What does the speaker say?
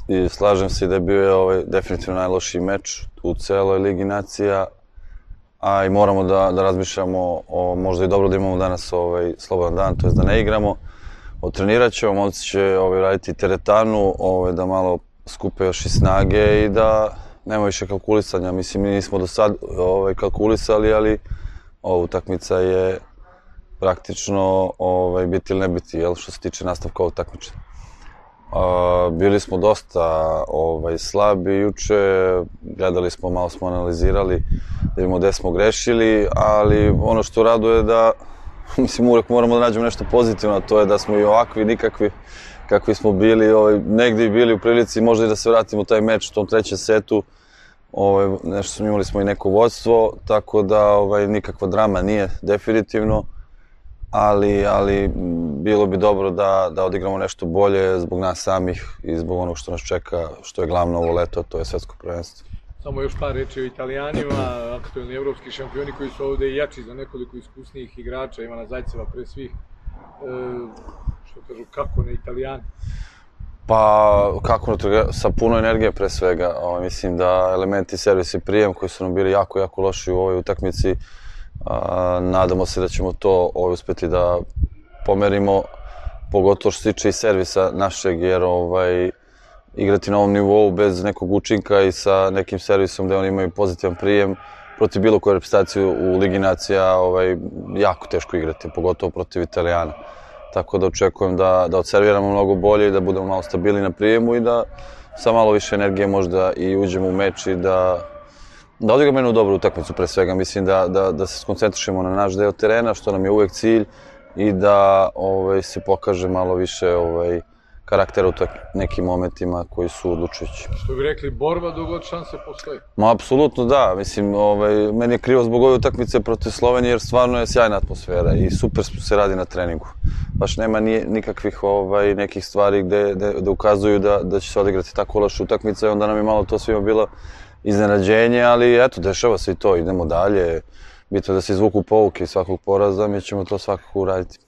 i slažem se da je bio definitivno najlošiji meč u celoj Ligi nacija, a i moramo da razmišljamo o možda i dobro da imamo danas slobodan dan, to je da ne igramo. Otrenirat ćemo, momci će raditi teretanu, da malo skupe još i snage i da nema više kalkulisanja. Mislim, mi nismo do sad kalkulisali, ali ova utakmica je praktično biti ili ne biti, što se tiče nastavka ovog takmičenja. Bili smo dosta slabi juče, gledali smo, malo smo analizirali da vidimo gde smo grešili, ali ono što raduje je da, mislim, uvek moramo da nađemo nešto pozitivno, a to je da smo i ovakvi, nikakvi, kakvi smo bili, negdje i bili u prilici možda i da se vratimo u taj meč u tom trećem setu. Nešto imali smo i neko vodstvo, tako da nikakva drama nije definitivno, ali bilo bi dobro da odigramo nešto bolje zbog nas samih i zbog onog što nas čeka, što je glavno ovo leto, to je svetsko prvenstvo. Samo još par reči o Italijanima, aktuelni evropski šampioni koji su ovde i jači za nekoliko iskusnijih igrača, Ivana Zajceva pre svih. Što kažu, kako na Italijani? Pa, kako sa puno energije pre svega. Mislim da elementi servis i prijem koji su nam bili jako, jako loši u ovoj utakmici, nadamo se da ćemo to uspeti da pomerimo, pogotovo što se tiče i servisa našeg, jer igrati na ovom nivou bez nekog učinka i sa nekim servisom gde oni imaju pozitivan prijem protiv bilo koje reprezentacije u Ligi nacija jako teško igrati, pogotovo protiv Italijana. Tako da očekujem da odserviramo mnogo bolje i da budemo malo stabilni na prijemu i da sa malo više energije možda i uđemo u meč i da odigramo jednu dobru utakmicu pre svega. Mislim da se skoncentrišemo na naš deo terena, što nam je uvek cilj, i da se pokaže malo više karaktera u nekim momentima koji su odlučujući. Što bi rekli, borba dok god šanse postoji? Ma, apsolutno da. Mislim, meni je krivo zbog ove utakmice protiv Slovenije, jer stvarno je sjajna atmosfera i super se radi na treningu. Baš nema nikakvih nekih stvari gde ukazuju da će se odigrati tako loša utakmica i onda nam je malo to svima bilo iznenađenje, ali eto, dešava se i to, idemo dalje. Bitno je da se izvuku pouke iz svakog poraza, mi ćemo to svakako uraditi.